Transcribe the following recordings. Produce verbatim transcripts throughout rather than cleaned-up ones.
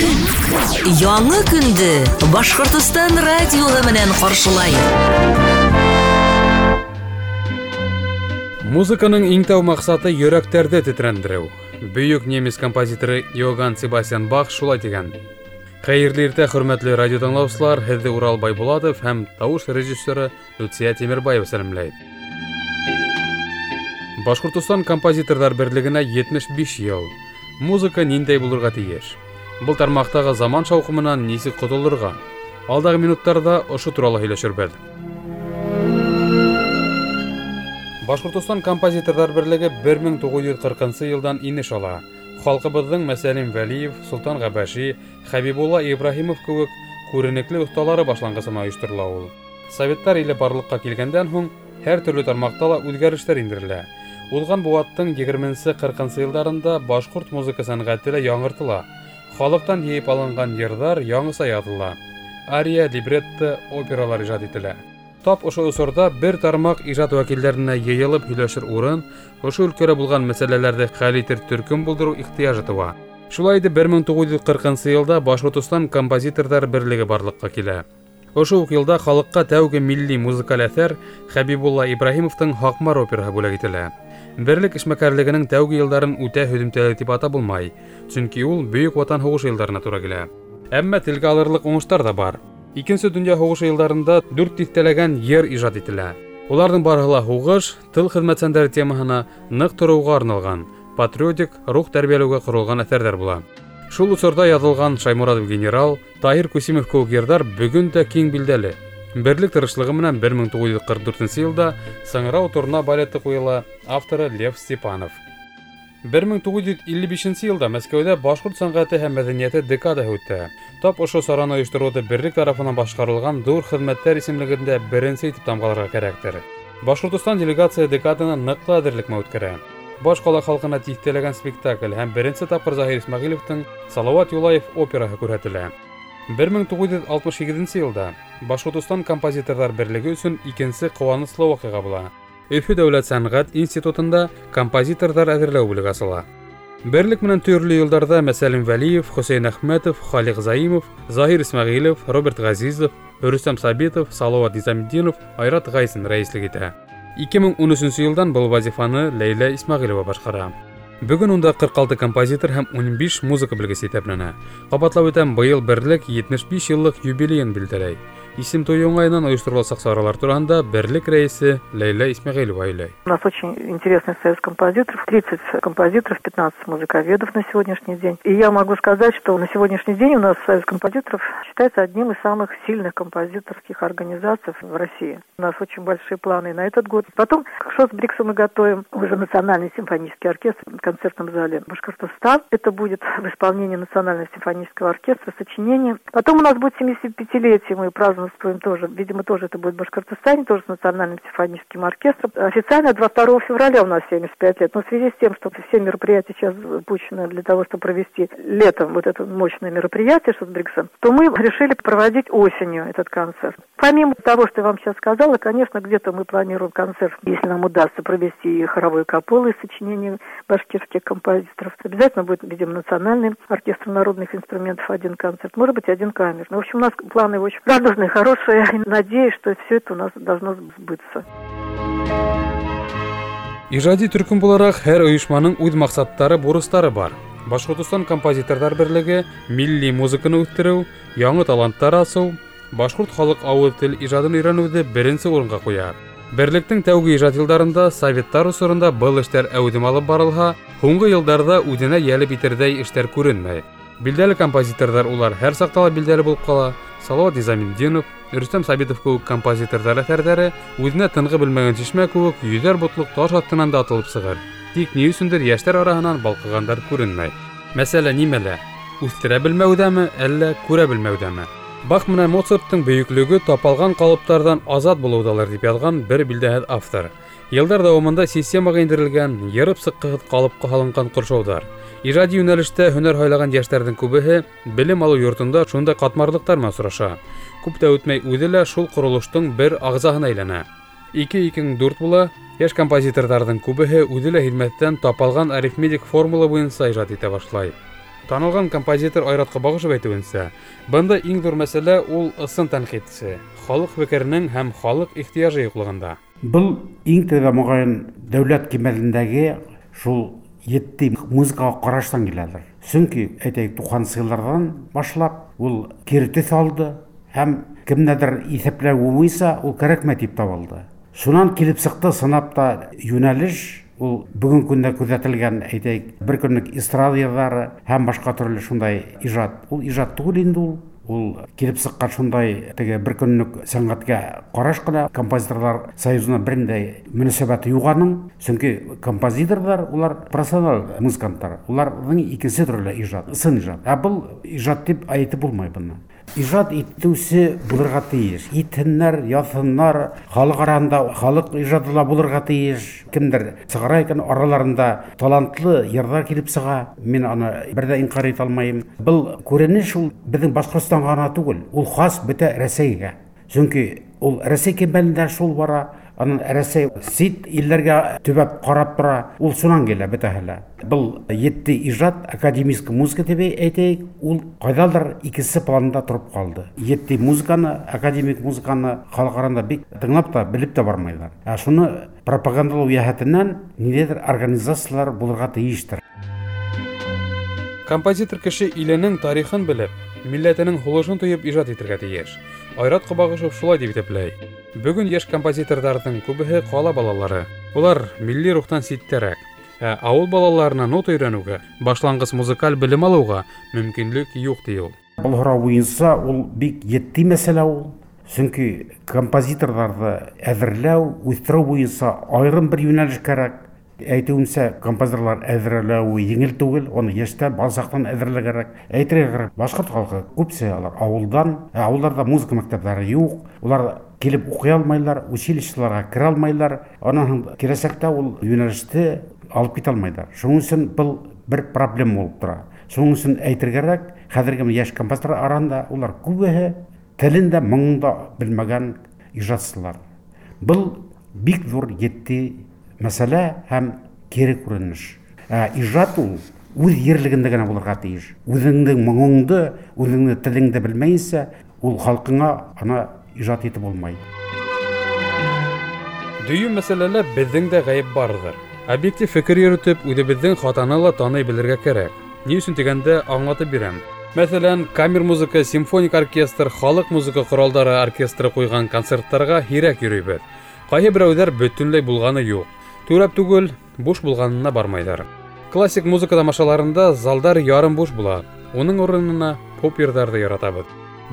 Көн. Яңы көндө Башҡортостан радиоһы менән ҡаршылай. Музыканың иң тәү маҡсаты йөрәктәрҙе тетрәндереү. Бөйөк немец композиторы Йоганн Себастьян Бах шулай тигән. Хәйерле иртә, хөрмәтле радио тыңлаусылар, һеҙҙе Урал Байбулатов һәм тауыш режиссеры Люция Тимербаева сәләмләй. Башҡортостан композиторҙар берлегенә етмеш биш йыл. Музыка ниндәй булырға тейеш? Был тармаҡтағы заман шауҡымынан нисек ҡотолорға? Алдағы минуттарҙа ошо турала һөйләшербеҙ. Башҡортостан композиторҙар берлеге бер мең туғыҙ йөҙ ҡырҡынсы йылдан инеш ала. Халҡыбыҙҙың Мәсәлим Вәлиев, Солтан Ғәбәши, Хәбибулла Ибраһимов кеүек күренекле оҫталары башланғысына ойошторола ул. Советтар иле барлыҡҡа килгәндән һуң һәр төрлө тармаҡта ла үҙгәрештәр индерелә. Уҙған быуаттың егерменсе ҡырҡынсы йылдарында башҡорт музыка сәнғәте лә яңыртыла. Халыҡтан йыйып алынған йырҙар яңыса яҙыла. Ария, либретто, опералар ижад ителә. Тап ошо осорҙа бер тармаҡ ижад вәкилдәренә йыйылып һөйләшер урын, ошо өлкәлә булған мәсьәләләрҙе хәл итер төркөм булдырыу ихтыяжы тыуа. Шулай итеп, бер мең туғыҙ йөҙ ҡырҡынсы йылда Башҡортостан композиторҙар берлеге барлыҡҡа килә. Ошо уҡ йылда халыҡҡа тәүге милли музыкаль әҫәр Хәбибулла Ибраһимовтың Һаҡмар операһы бүләк ителә. Берлек эшмәкәрлегенең тәүге йылдарын үтә һөҙөмтәле тип атап булмай, сөнки ул Бөйөк Ватан һуғышы йылдарына тура килә. Әммә телгә алырлыҡ уңыштар ҙа бар. Икенсе донъя һуғышы йылдарында дүрт тиҫтәләгән йыр ижад ителә. Уларҙың барыһы ла һуғыш, тыл хеҙмәтсәндәре темаһына ныҡ тороуға арналған, патриотик рух тәрбиәләүгә ҡоролған әҫәрҙәр була. Шул осорҙа яҙылған Шаймуратов генерал, Таһир Күсимов кеүек йырҙар бөгөн дә киң билдәле. Берлек тырышлығы менән бер мең туғыҙ йөҙ ҡырҡ дүртенсе йылда Сыңрау торна балеты ҡуйыла, авторы Лев Степанов. Бер мең туғыҙ йөҙ илле бишенсе йылда Мәскәүҙә башҡорт сәнғәте һәм мәҙәниәте декадаһы үтә. Тап ошо сараны ойоштороуҙы берлек тарафынан башҡарылған ҙур хеҙмәттәр исемлегендә беренсе итеп тамғаларға кәрәктер. Башҡортостан делегация декаданы ныҡлы әҙерлек менән үткәрә. Баш ҡала халҡына тиҫтәләгән спектакль һәм беренсе тапҡыр Заһир Исмәғилевтең Салауат Юлаев операһы күрһәтелә. Бер мең туғыҙ йөҙ алтмыш һигеҙенсе йылда Башҡортостан композиторҙар берлеге өсөн икенсе ҡыуаныслы ваҡиға була. Өфө дәүләт сәнғәт институтында композиторҙар әҙерләү бүлеге асыла. Берлек менән төрлө йылдарҙа Мәсәлим Вәлиев, Хөсәйен Әхмәтов, Халиҡ Заимов, Заһир Исмәғилев, Роберт Ғәзизов, Рөстәм Сабитов, Салауат Низаметдинов, Айрат Ғайсин рәйеслек итә. Ике мең ун өсөнсө йылдан был вазифаны Ләйлә Исмәғилова башҡара. Бөгөн унда ҡырҡ алты композитор һәм ун биш музыка белгесе иҫәпләнә. Ҡабатлап үтәм, быйыл берлек етмеш биш йыллыҡ юбилейын билдәләй. Исем туйы уңайынан ойоштороласаҡ саралар тураһында берлек рәйесе Ләйлә Исмәғилова һөйләй. У нас очень интересный союз композиторов, тридцать композиторов, пятнадцать музыковедов на сегодняшний день. И я могу сказать, что на сегодняшний день у нас союз композиторов считается одним из самых сильных композиторских организаций в России. У нас очень большие планы на этот год. Потом к Шосбриксу мы готовим уже Национальный симфонический оркестр в концертном зале Башкортостан. Это будет в исполнении Национального симфонического оркестра сочинение. Потом у нас будет семидесятипятилетие, мы празднуем тоже, видимо, тоже это будет в Башкортостане, тоже с Национальным симфоническим оркестром. Официально двадцать второго февраля у нас семьдесят пять лет, но в связи с тем, что все мероприятия сейчас запущены для того, чтобы провести летом вот это мощное мероприятие Шосбрикса, то мы решили проводить осенью этот концерт. Помимо того, что я вам сейчас сказала, конечно, где-то мы планируем концерт, если нам удастся провести и хоровые капеллы из сочинений башкирских композиторов. Обязательно будет, видимо, Национальный оркестр народных инструментов один концерт, может быть, один камерный. В общем, у нас планы очень радужные, хорошие. И надеюсь, что все это у нас должно сбыться. Ижади төркөм булараҡ һәр ойошманың үҙ маҡсаттары, бурыстары бар. Башҡортостан композиторҙар берлеге милли музыканы үҫтереү, яңы таланттар асыу, башҡорт халыҡ ауыҙ тел ижадын өйрәнеүҙе беренсе урынға ҡуя. Берлектең тәүге ижад йылдарында советтар осоронда был эштәр әүҙем алып барылһа, һуңғы йылдарҙа үҙенә йәлеп итерҙәй эштәр күренмәй. Билдәле композиторҙар улар һәр саҡта ла билдәле булып ҡала. Салауат Низаметдинов, Рөстәм Сабитов кеүек композиторҙар әҫәрҙәре үҙенә тынғы белмәгән шишмә кеүек йөҙәр ботлоҡ таш аҫтынан да атылып сығыр. Тик ни өсөндөр йәштәр араһынан балҡығандар күренмәй. Мәсьәлә нимәлә? Үҫтерә белмәүҙәме, әллә күрә белмәүҙәме? Бах менән Моцарттың бөйөклөгө тапалған ҡалыптарҙан азат булыуҙалыр тип яҙған бер билдәһеҙ автор. Йылдар дауамында системаға индерелгән, йырып сыҡҡыһыҙ ҡалыпҡа һалынған ҡоршауҙар. Ижади йүнәлештә һөнәр һайлаған йәштәрҙең күбеһе белем алыу йортонда шундай ҡатмарлыҡтар менән осраша. Күп тә үтмәй үҙе лә шул ҡоролоштоң бер ағзаһына әйләнә. Ике ике мең дүрт була, йәш композиторҙарҙың күбеһе үҙе лә һиҙмәҫтән тапалған арифметик формула буйынса ижад итә башлай. Танылған композитор Айрат Ҡобағышев әйтеүенсә, бында иң ҙур мәсьәлә ул ысын тәнҡитсе, халыҡ фекеренең һәм халыҡ ихтыяжы юҡлығында. Был иң тәүҙә моғайын дәүләт кимәлендәге шул етди музыкаға ҡараштан киләлер. Сөнки әйтәйек, туҡһанынсы йылдарҙан башлап ул кире төҫ алды һәм кемдәдер иҫәпләү буйынса ул кәрәкмәй тип табылды. Шунан килеп сыҡты сынап та йүнәлеш, ул бөгөн көндә күҙәтелгән, әйтәйек, бер көнлөк эстрада йырҙары һәм башҡа төрлө шундай ижад. Ул ижад түгел инде ул. Ул килеп сыҡҡан шундай теге бер көнлөк сәнғәткә ҡараш ҡына. Композиторҙар союзына бер ниндәй мөнәсәбәте юҡ аның. Сөнки композиторҙар улар профессионал музыканттар. Уларҙың икенсе төрлө ижад, ысын ижад. Ә был ижад тип әйтеп булмай быны. Ижад итеүсе булырға тейеш. Итһеннәр, яҙһыннар, халыҡ араһында халыҡ ижады ла булырға тейеш. Кемдер сығара икән, араларында талантлы йырҙар килеп сыға. Мин аны бер ҙә инҡар итә алмайым. Был күренеш ул беҙҙең Башҡортостанға ғына түгел, ул хас бөтә Рәсәйгә. Сөнки ул Рәсәй кимәлендә шул бара, анан Рәсәй сит илдәргә төбәп ҡарап тора, ул шунан килә бөтәһе лә. Был етди ижад, академический музыка тип әйтәйек, ул ҡайҙалыр икенсе планда тороп ҡалды. Етди музыканы, академик музыканы халыҡ араһында бик тыңлап та, белеп тә бармайҙар. Ә шуны пропагандалау йәһәтенән ниндәйҙер организациялар булырға тейештер. Композитор кеше иленең тарихын белеп, милләтенең һулышын тойоп ижад итергә тейеш. Айрат Ҡобағышев шулай тип иҫәпләй. Бөгөн йәш композиторҙарҙың күбеһе ҡала балалары. Улар милли рухтан ситтәрәк. Ә ауыл балаларына нота өйрәнеүгә, башланғыс музыкаль белем алыуға мөмкинлек юҡ ти ул. Был һорау буйынса ул бик етди мәсьәлә ул. Сөнки композиторҙарҙы әҙерләү, үҫтереү буйынса айырым бер йүнәлеш кәрәк. Әйтеүемсә, композиторлар әҙерләүе еңел түгел, уны йәштән, баласаҡтан әҙерләү кәрәк. Әйтергә кәрәк, башҡорт халҡы күпсе алар ауылдан, ә ауылдарҙа музыка мәктәптәре юҡ, улар килеп уҡый алмайлар, училищеларға керә алмайлар, анан һуң киләсәктә ул йүнәлеште алып китә алмайлар. Шуның өсөн был бер проблема булып тора. Шуның өсөн әйтергә кәрәк, хәҙерге йәш композиторлар араһында улар күбеһе телен дә, моңон да белмәгән ижадсылар. Был бик ҙур етди мәсьәлә һәм кире күренеш. Ә ижад ул үҙ ерлегендә генә булырға тейеш. Үҙеңдең моңоңдо, үҙеңдең телеңде белмәйенсә, ул халҡыңа ана ижад итеп булмай. Дөйөм мәсьәләлә беҙҙең дә ғәйеп барҙыр. Объектив фекер йөрөтөп, үҙебеҙҙең хатаны ла таный белергә кәрәк. Ни өсөн тигәндә аңлатып бирәм. Мәҫәлән, камер музыка, симфоник оркестр, халыҡ музыка ҡоралдары оркестры ҡуйған концерттарға һирәк йөрөйбөҙ. Ҡайһы берәүҙәр бөтөнләй булғаны юҡ. Түрәп түгел, буш булғанына бармайҙар. Классик музыка тамашаларында залдар ярым буш була. Уның урынына поп йырҙарҙы яратабыҙ.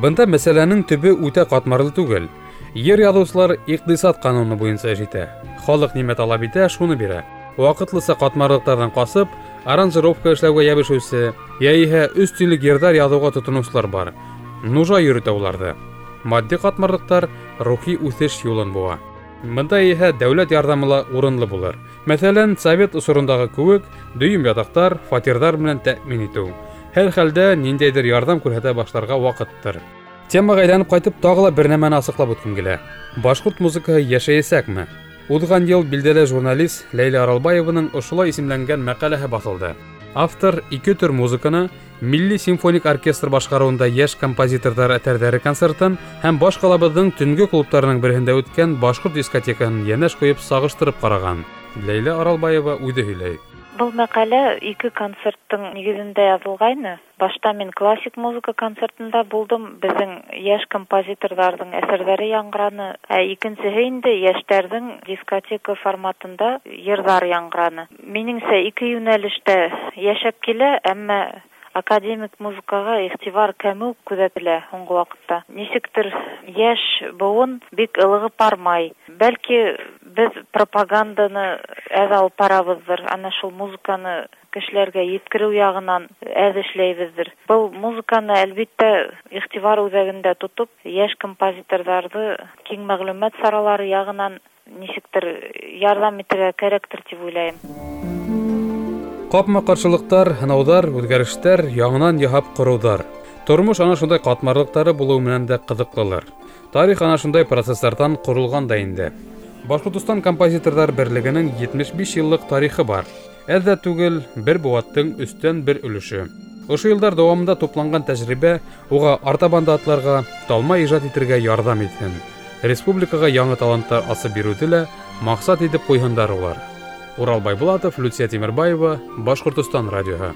Бында мәсьәләнең төбө үтә ҡатмарлы түгел. Йыр яҙыусылар иҡтисад ҡануны буйынса эш итә. Халыҡ нимә талап итә, шуны бирә. Ваҡытлыса ҡатмарлыҡтарҙан ҡасып, аранжировка эшләүгә йәбешеүсе, йә иһә өс тинлек йырҙар яҙыуға тотоноусылар бар. Нужа йөрөтә уларҙы. Матди ҡатмарлыҡтар рухи үҫеш юлын быуа. Бында иһә дәүләт ярҙамы ла урынлы булыр. Мәҫәлән, совет осорондағы кеүек дөйөм ятаҡтар, фатирҙар менән тәьмин итеү. Һәр хәлдә ниндәйҙер ярҙам күрһәтә башларға ваҡыттыр. Темаға әйләнеп ҡайтып, тағы ла бер нәмәне асыҡлап үткем килә. Башҡорт музыкаһы йәшәйәсәкме? Уҙған йыл билдәле журналист Ләйлә Аралбаеваның ошолай исемләнгән мәҡәләһе баҫылды. Автор ике төр музыканы Милли симфоник оркестр башҡарыуында йәш композиторҙар әҫәрҙәре концертын һәм баш ҡалабыҙҙың төнгө клубтарының береһендә үткән башҡорт дискотекаһын йәнәш ҡуйып сағыштырып ҡараған. Ләйлә Аралбаева үҙе һөйләй. Был мәҡәлә ике концерттың нигеҙендә яҙылғайны. Башта мин классик музыка концертында булдым, беҙҙең йәш композиторҙарҙың әҫәрҙәре яңғыраны. Ә икенсеһе инде йәштәрҙең дискотека форматында йырҙар яңғыраны. Минеңсә, ике йүнәлештә йәшәп килә, әммә академик музыкаға иғтибар кәмеү күҙәтелә һуңғы ваҡытта. Нисектер йәш быуын бик ылығып бармай. Бәлки беҙ пропаганданы әҙ алып барабыҙҙыр, ана шул музыканы кешеләргә еткереү яғынан әҙ эшләйбеҙҙер. Был музыканы әлбиттә иғтибар үҙәгендә тотоп, йәш композиторҙарҙы киң мәғлүмәт саралары яғынан нисектер ярҙам итергә кәрәктер тип уйлайым. Ҡапма-ҡаршылыҡтар, һынауҙар, үҙгәрештәр, яңынан яһап ҡороуҙар. Тормош ана шундай ҡатмарлыҡтары булыу менән дә ҡыҙыҡлылыр. Тарих ана шундай процесстарҙан ҡоролған да инде. Башҡортостан композиторҙар берлегенең етмеш биш йыллыҡ тарихы бар. Әҙ ҙә түгел, бер быуаттың өстән бер өлөшө. Ошо йылдар дауамында тупланған тәжрибә уға артабан да атларға, талмай ижад итергә ярҙам итһен. Республикаға яңы таланттар асып биреүҙе лә маҡсат итеп ҡуйһындар улар. Урал Байбулатов, Люция Тимербаева, Башҡортостан радиоһы.